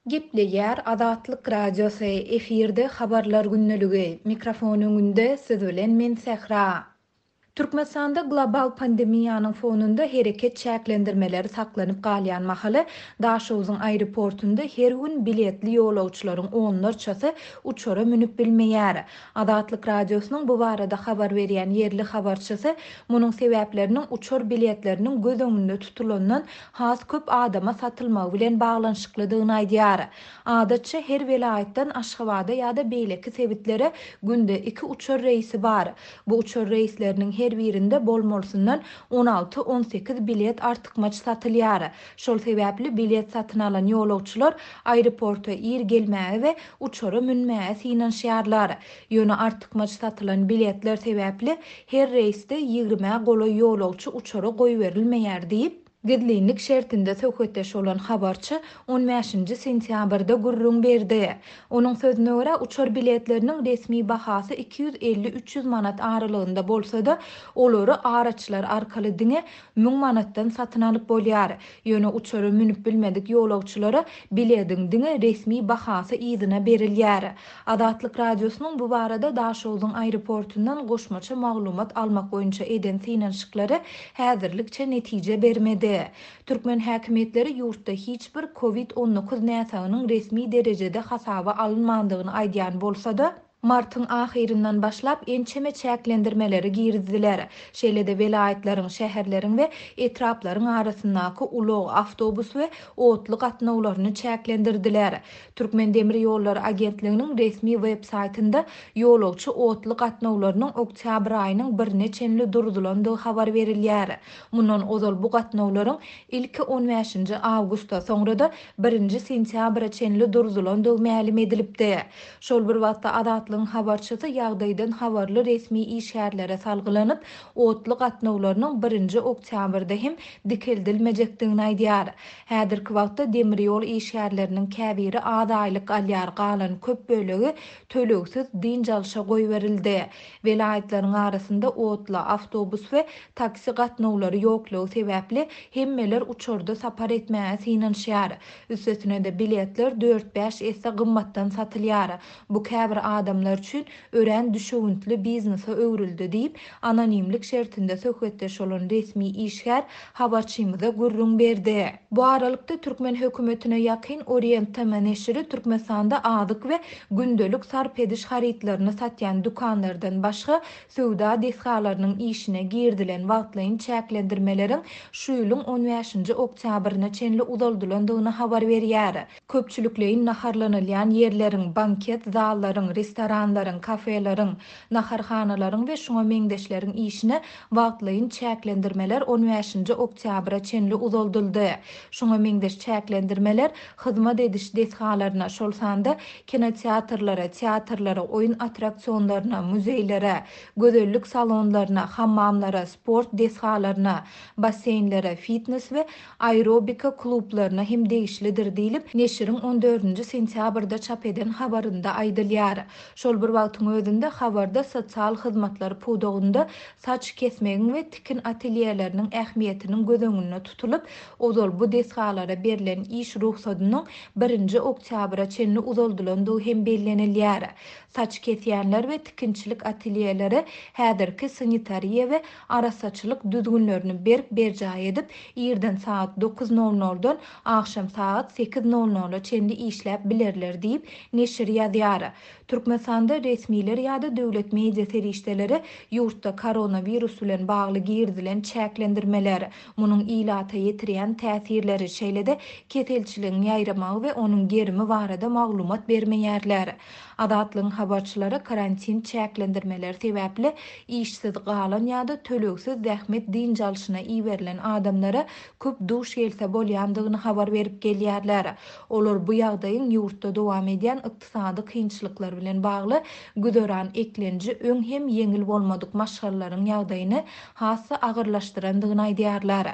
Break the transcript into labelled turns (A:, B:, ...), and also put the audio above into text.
A: Gepleýär Azatlyk Radiosy, efirde Habarlar gündeligi, mikrofon öňünde siz bilen men Sähra. Türkmenistanda global pandemiýanyň fonunda hereket çäklendirmeleri saklanyp galýan mahaly, Daşogzuň aeroportunda her gün biletli ýolagçylaryň onlarçasy uçara münüp bilmeýär. Azatlyk Radiosynyň bu barada habar berýän ýerli habarçysy munuň sebäpleriniň uçar biletleriniň göz öňünde tutulandan has köp adama satylmagy bilen baglanyşyklydygyny aýdýar. Adatça, her welaýatdan Aşgabada ýa-da beýleki sebitlere günde iki uçar reýsi bar. Bu uçar reýsleriniň her birinde bolmalysyndan on alty-on sekiz bilet artykmaç satylýar. Şol sebäpli bilet satyn alan ýolagçylar aeroporta ir gelmäge we uçara münmäge synanyşýarlar. Ýöne artykmaç satylan biletler sebäpli her reýsde ýigrimä golaý ýolagçy uçara goýberilmeýär diýip, gizlinlik şertinde söhbetdeş bolan habarçy on bäşinji sentýabrda gürrüň berdi. Onuň sözüne görä, uçar biletleriniň resmi bahasy 250-300 manat aralygynda bolsa-da, olary araçylar arkaly diňe 1000 manatdan satyn alyp bolýar. Ýöne uçara münüp bilmedik ýolagçylara bilediň diňe resmi bahasy yzyna berilýär. Azatlyk Radiosynyň bu barada Daşogzuň aeroportundan goşmaça maglumat almak boýunça eden synanyşyklary häzirlikçe netije bermedi. Türkmen häkimiýetleri ýurtda hiç bir Covid 19 näsagynyň resmi derejede hasaba alynmandygyny aýdýan bolsa-da, martyň ahyryndan başlap ençeme çäklendirmeleri girizdiler. Şeýle-de welaýatlaryň, şäherleriň we etraplaryň arasyndaky ulag, awtobus we otly gatnawlaryny çäklendirdiler. Türkmendemirýollary agentliginiň resmi web saýtynda ýolagçy otly gatnawlarynyň oktýabr aýynyň birine çenli durzulandygy habar berilýär. Mundan ozal bu gatnawlaryň ilki on bäşinji awgusta, soňra-da birinji sentýabra çenli durzulandygy mälim edilipdi. Şol bir wagtda, Azatlygyň habarçysy ýagdaýdan habarly resmi işgärlere salgylanyp, otly gatnawlarynyň birinji oktýabrda hem dikeldilmejekdigini aýdýar. Häzirki wagtda demir ýol işgärleriniň käbiri az aýlyk alýar, galan köp bölegi tölegsiz dynç alşa goýberildi. Welaýatlaryň arasynda otly, awtobus we taksi gatnawlary ýoklugy sebäpli hemmeler uçarda sapar etmäge synanyşýar. Üstesine-de biletler dört-bäş esse gymmatdan satylýar. Bu käbir adamlar üçin örän düşewüntli biznese öwrüldi diýip, anonimlik şertinde söhbetdeş bolan resmi işgär habarçymyza gürrüň berdi. Bu aralykda, türkmen hökümetine ýakyn Orient TM neşiri Türkmenistanda azyk we gündelik sarp ediş harytlaryny satýan dükanlardan başga söwda desgalarynyň işine girizilen wagtlaýyn çäklendirmeleriň şu ýylyň on bäşinji oktýabryna çenli uzaldylandygyny habar berýär. Köpçülikleýin naharlanylýan ýerleriň, banket zallaryň, restoranlaryň, kafeleriň, naharhanalaryň we şuňa meňzeşleriň işine wagtlaýyn çäklendirmeler on bäşinji oktýabra çenli uzaldyldy. Şuňa meňzeş çäklendirmeler hyzmat ediş desgalaryna, şol sanda kinoteatrlara, teatrlara, oýun attraksionlaryna, muzeýlere, gözellik salonlaryna, hammamlara, sport desgalaryna, basseýnlere, fitnes we aerobika klublaryna hem degişlidir diýlip, neşiriň on dördünji sentýabrda çap eden habarynda aýdylýar. Şol bir wagtyň özünde, habarda sosial hyzmatlar pudagynda saç kesmegiň we tikin atelýeleriniň ähmiýetiniň göz öňünde tutulyp, ozal bu desgalara berlen iş rugsadynyň birinji oktýabra çenli uzaldylandygy hem bellenilýär. Saç kesýänler we tikinçilik atelýeleri häzirki sanitariýa we arassaçylyk düzgünlerini berk berjaý edip, irden sagat dokuz nol noldan agşam sagat sekiz nol nola çenli işläp bilerler diýip, neşir ýazýar. Türkmenistanda resmiler ýa-da döwlet media serişdeleri ýurtda koronawirus bilen bagly girizilen çäklendirmeler, munuň ilata ýetirýän täsirleri, şeýle-de keselçiligiň ýaýramagy we onuň gerimi barada maglumat bermeýärler. Azatlygyň habarçylary karantin çäklendirmeleri sebäpli işsiz galan ýa-da tölegsiz zähmet dynç alşyna iberilen adamlara köp duş gelse bolýandygyny habar berip gelýärler. Olar bu ýagdaýyň ýurtda dowam edýän ykdysady kynçylyklar bilen bagly güzeran eklenji öň hem ýeňil bolmadyk maşgalalaryň ýagdaýyny has-da agyrlaşdyrandygyny aýdýarlar.